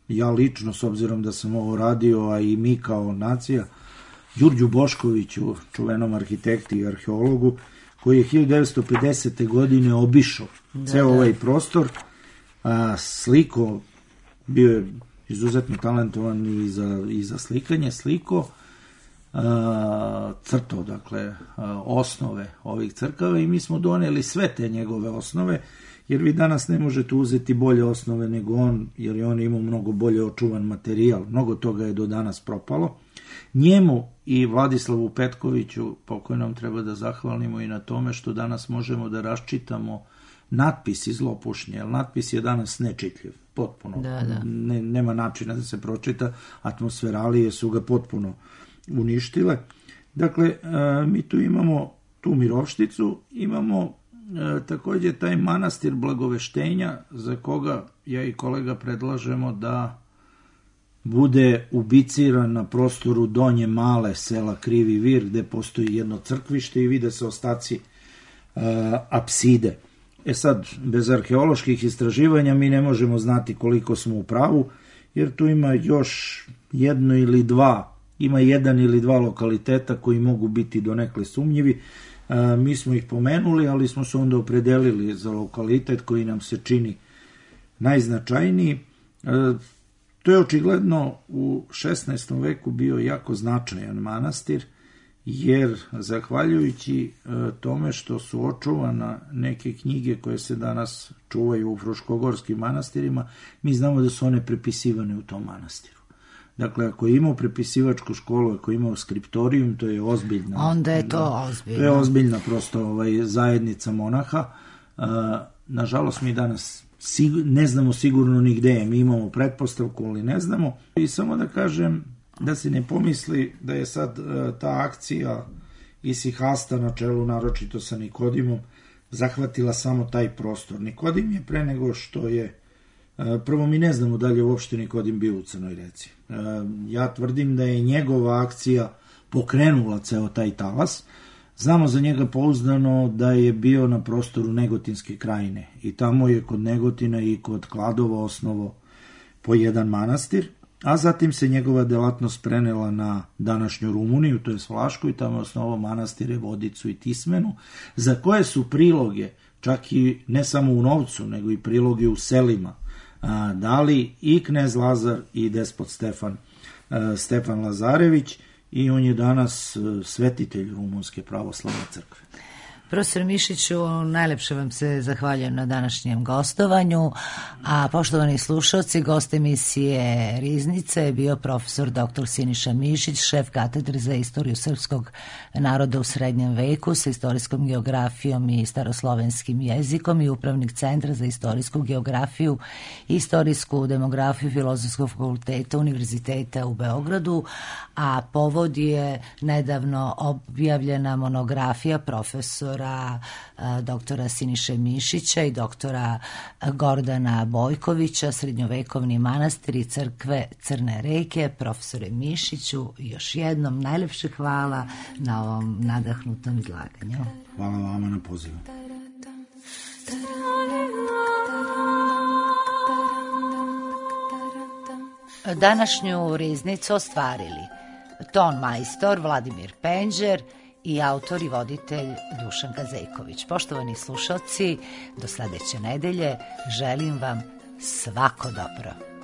ja lično, s obzirom da sam ovo radio, a i mi kao nacija, Đurđu Boškoviću, čuvenom arhitekti i arheologu, koji je hiljadu devetsto pedesete. godine obišao da, ceo da. ovaj prostor, a, sliko, bio je izuzetno talentovan i za, i za slikanje, sliko, a, crtao, dakle, a, osnove ovih crkava i mi smo doneli sve te njegove osnove, jer vi danas ne možete uzeti bolje osnove nego on, jer je on imao mnogo bolje očuvan materijal, mnogo toga je do danas propalo. Njemu i Vladislavu Petkoviću, pokojnom, treba da zahvalimo i na tome što danas možemo da raščitamo natpis iz Lopušnje, jer natpis je danas nečitljiv, potpuno. Da, da. Ne, nema načina da se pročita, atmosferalije su ga potpuno uništile. Dakle, mi tu imamo tu mirovšticu, imamo takođe taj manastir Blagoveštenja, za koga ja i kolega predlažemo da bude ubiciran na prostoru Donje Male, sela Krivi Vir, gde postoji jedno crkvište i vide se ostaci uh, apside. E sad, bez arheoloških istraživanja mi ne možemo znati koliko smo u pravu, jer tu ima još jedno ili dva, ima jedan ili dva lokaliteta koji mogu biti donekle sumnjivi. Uh, mi smo ih pomenuli, ali smo se onda opredelili za lokalitet koji nam se čini najznačajniji. Uh, To je očigledno u šesnaestom veku bio jako značajan manastir, jer zahvaljujući tome što su očuvana neke knjige koje se danas čuvaju u fruškogorskim manastirima, mi znamo da su one prepisivane u tom manastiru. Dakle, ako je imao prepisivačku školu, ako je imao skriptorijum, to je ozbiljna... Onda je to ozbiljno. To je ozbiljna prosto ovaj, zajednica monaha. Nažalost, mi danas ne znamo sigurno ni gde je, mi imamo pretpostavku, ali ne znamo. I samo da kažem da se ne pomisli da je sad ta akcija Isihasta na čelu, naročito sa Nikodimom, zahvatila samo taj prostor. Nikodim je pre nego što je, prvo mi ne znamo da li je uopšte Nikodim bio u Crnoj Reci. Ja tvrdim da je njegova akcija pokrenula ceo taj talas. Znamo za njega pouzdano da je bio na prostoru Negotinske krajine i tamo je kod Negotina i kod Kladova osnovo po jedan manastir, a zatim se njegova delatnost prenela na današnju Rumuniju, to je Vlašku, i tamo je osnovao manastire Vodicu i Tismenu, za koje su priloge, čak i ne samo u novcu, nego i priloge u selima, dali i knez Lazar i despot Stefan, Stefan Lazarević, i on je danas svetitelj Rumunske pravoslavne crkve. Profesor Mišiću, najlepše vam se zahvaljujem na današnjem gostovanju, a poštovani slušalci, gost emisije Riznice je bio profesor doktor Siniša Mišić, šef katedre za istoriju srpskog naroda u srednjem veku sa istorijskom geografijom i staroslovenskim jezikom i upravnik Centra za istorijsku geografiju i istorijsku demografiju Filozofskog fakulteta Univerziteta u Beogradu, a povod je nedavno objavljena monografija profesora doktora Siniše Mišića i doktora Gordana Bojkovića, Srednjovekovni manastir i crkve Crne reke. Profesore Mišiću, još jednom najlepše hvala na ovom nadahnutom izlaganju. Hvala vama na pozivu. Današnju riznicu ostvarili ton majstor Vladimir Penđer i autor i voditelj Dušanka Zejković. Poštovani slušalci, do sledeće nedelje želim vam svako dobro.